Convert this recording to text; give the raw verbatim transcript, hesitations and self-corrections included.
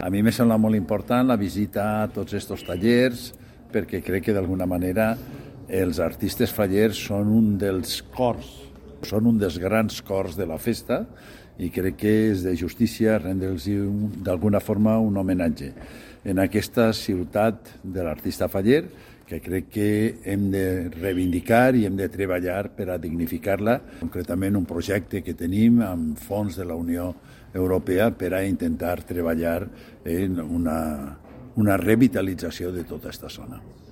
A mi me sembla molt important la visita a tots aquests tallers perquè crec que d'alguna manera els artistes fallers són un dels cors, són un dels grans cors de la festa i crec que és de justícia rendre'ls d'alguna forma un homenatge en aquesta ciutat de l'artista faller que crec que hem de reivindicar i hem de treballar per a dignificar-la, concretament un projecte que tenim amb fons de la Unió Europea per a intentar treballar en una, una revitalització de tota aquesta zona.